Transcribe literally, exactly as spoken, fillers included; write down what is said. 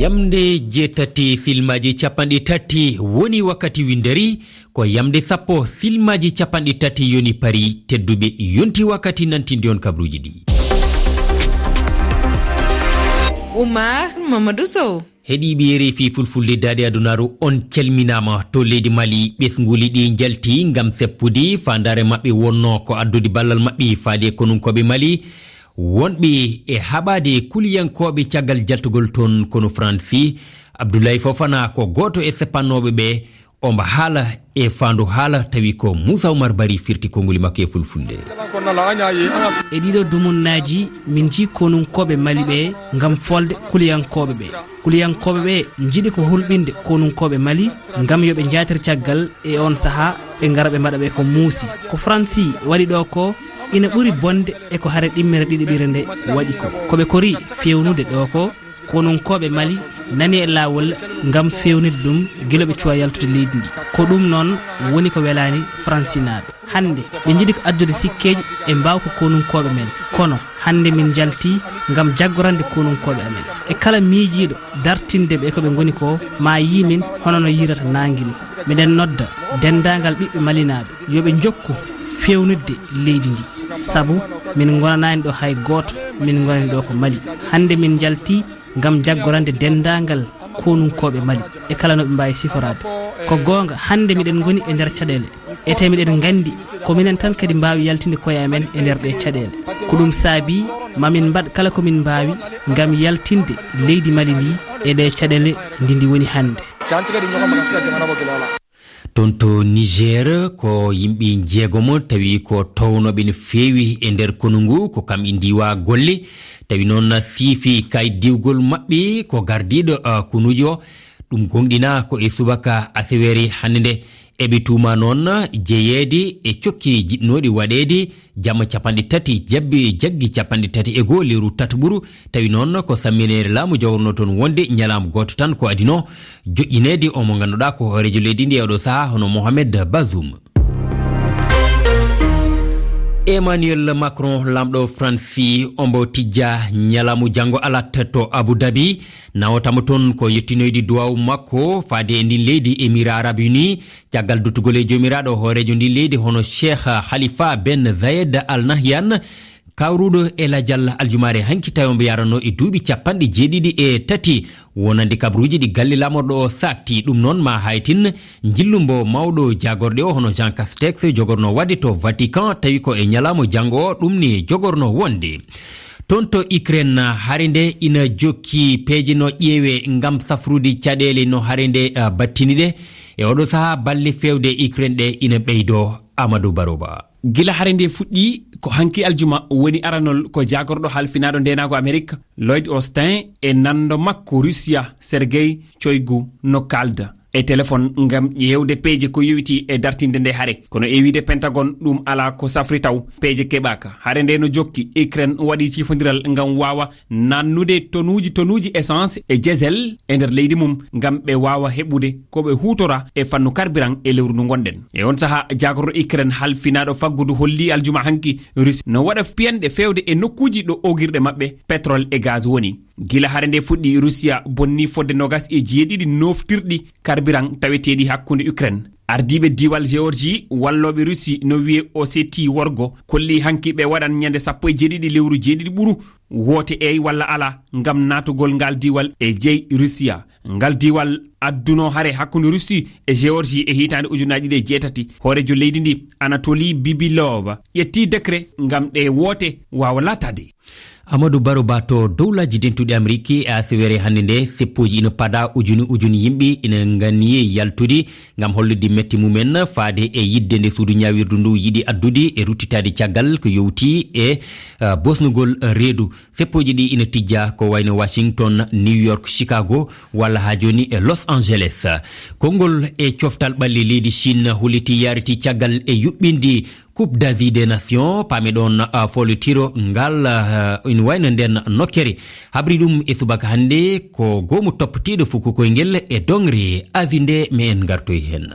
Yamnde jeetati filmaaji capanɗe tati woni wakkati winnderi, ko yamnde sappo filmaaji capanɗe tati yoni pari. Tedduɓe, yonti wakkati nantinde on kabaruuji ɗi. Oumar Mamadou Sow. Heɗiiɓe R F I Fulfulde Daande Adunaaru, on calminaama. To leydi Mali, ɓesnguuli ɗi njalti ngam seppude faandaare maɓɓe wonnoo ko addude ballal maɓɓe faade konunkooɓe Mali wonɓe e haɓaade kuliyankooɓe caggal jaltugol toon konu Faransi. Abdoulaye Fofana ko gooto e seppannooɓe ɓe, omo haala e faandu haala, tawi ko Moussa Oumar Bari firti konnguli makko e Fulfulde. E ɗiɗo dumunnaaji, min njii konunkooɓe Mali ɓe ngam folde kuliyankooɓe ɓe. Kuliyankooɓe ɓe njiɗi ko hulɓinde konunkooɓe Mali ngam yo ɓe njaatir caggal e on sahaa, ɓe ngara ɓe mbaɗa ɓe ko muusi. Ko Faransi waɗi ɗo ko ina ɓuri bonde e ko hare ɗimmere ɗiɗiɓire nde waɗi ko. Ko ɓe kori fewnude ɗo ko konunkooɓe Mali nani e laawol ngam fewnude ɗum gila ɓe cuwa yaltude leydi ndi. Ko ɗum noon woni ko welaani Faransinaaɓe. Hannde, ɓe njiɗi ko addude sikkeeji e mbaawka konunkooɓe men. Kono, hannde min njalti ngam jaggorande konunkooɓe amen. E kala miijiiɗo dartinde ɓe ko ɓe ngoni ko, ma yii min hono no yiirata naange ni. Miɗen nodda denndaangal ɓiɓɓe malinaaɓe, yo ɓe njokku feewnitde leydi ndi. Sabu min ngonanaani ɗo hay gooto, min ngonani ɗo ko Mali. Hannde min njalti ngam jaggorande denndaangal konunkooɓe Mali e kala no ɓe mbaawi siforaade. Ko goonga, hannde miɗen ngoni e nder caɗeele. E tawi miɗen nganndi ko minen tan kadi mbaawi yaltinde koye amen e nder ɗee caɗeele. Ko ɗum saabi ma min mbaɗ kala ko min mbaawi ngam yaltinde leydi Mali ndi e ɗee caɗeele ndi ndi woni hannde. Toon to Niger, ko yimɓe njeegomo tawi ko townooɓe no feewi e nder konu ngu, ko kam e ndiwa golle. Tawi noon siifi kay diwgol maɓɓe ko gardiiɗo, ah, konuujo. Ɗum gonɗina ko e subaka aseweere hannde nde. Eɓe tuuma noon jeyeede e cokke jiɗnooɗe waɗeede jamma capanɗe tati jabbi jaggi capanɗe tati e goo lewru tataɓuru. Tawi noon ko sammineere laamu jogorno toon wonde ñalaama gooto tan ko adino joƴƴineede o mo ngannduɗaa ko hooreejo leydi ndi e oɗo sahaa hono Mohamed Bazoum. Emmanuel Macron, laamɗo Faransi, ombo tijja ñalaamu janngo alat to Abu Dhabi, nawotamo toon ko yettinoyde duwaawu makko faade e ndin leydi Émirats Arabes Unis, caggal duttugol e joomiraaɗo hooreejo ndin leydi hono Cheikh Khalifa ben Zayed Al Nahyan. Kawruɗo e lajal aljumaare hanki tawi omo yaranno e duuɓi capanɗe jeeɗiɗi e tati, wonande kabaruuji ɗi galle laamorɗo o saakti. Ɗum noon ma haytin njillumbo mawɗo jaagorɗe o hono Jean Castex jogorno waɗde to Vatican, tawi ko e ñalaama janngo o ɗum ni jogorno wonde. Toon to Ukraine, hare nde ina jokki peeje no ƴeewe ngam safrude caɗeele no hare nde, ah, battini ɗe. E oɗo sahaa balle feewde Ukraine ɗe ina ɓeydo. Amadou Baroba. Gila hare nde fuɗɗi, ko hanki aljuma woni aranol ko jaagorɗo halfinaaɗo ndeenaagu Amerik, Lloyd Austin, e nanndo makko Rusiya, Sergei Shoigu, no kaalda e telefon ngam ƴeewde peeje ko yowiti e dartinde nde hare. Kono e wiide Pentagon, ɗum alaa ko safri taw, peeje keɓaaka. Hare nde no jokki, Ukraine waɗi cifondiral ngam waawa nannude tonuuji, tonuuji essence e diesel e nder leydi mum ngam ɓe waawa heɓude ko ɓe huutora e fannu carburant e lewru ndu ngonɗen. E on saha, jaagorɗo Ukraine halfinaaɗo faggudu holli aljuma hanki Russie no waɗa piyanɗe feewde e nokkuuji ɗo oogirɗe maɓɓe pétrole e gaz woni. Gila hare nde fuɗɗi, Rusiya bonni fodde nogas e jeeɗiɗi noftirɗi carburant taweteeɗi hakkunde Ukraine. Ardiiɓe diiwal Géorgie, wallooɓe Russie no wiye Ossétie worgo, kolli hanki ɓe waɗan ñande sappo e jeeɗiɗi lewru jeeɗiɗi ɓuru woote eey walla alaa ngam naatugol ngal diiwal e jeyi Rusiya. Ngal diiwal adduno hare hakkunde Russie e Géorgie e hitaande ujunaaji ɗiɗi e jeetati. Hooreejo leydi ndi, Anatoly Bibilov, ƴetti décret ngam ɗe woote waawa laataade. Amadou Baro Ba to Dowlaaji Dentuɗi Ameriki, e aseweere hannde nde, seppooji ina pada, ujuni ujuni yimɓe ina nganniyi yaltude ngam hollude mette mumen faade e yidde nde suudu ñaawirdu ndu yiɗi addude e ruttitaade caggal ko yowti e, ah, bosnugol reedu. Seppooji ɗi ina tijja ko wayno Washington, New York, Chicago, walla haa jooni e Los Angeles. Konngol e coftal ɓalli leydi Chine huliti yariti caggal e yuɓɓindi Coupe d'Asie des Nations, paami ɗon, ah, foolotiro ngal, ah, ina wayno nden nokkere. Habri ɗum e subaka hannde ko goomu toppitiiɗo fuku koyngel e doŋre Asie nde, me en ngartoy heen.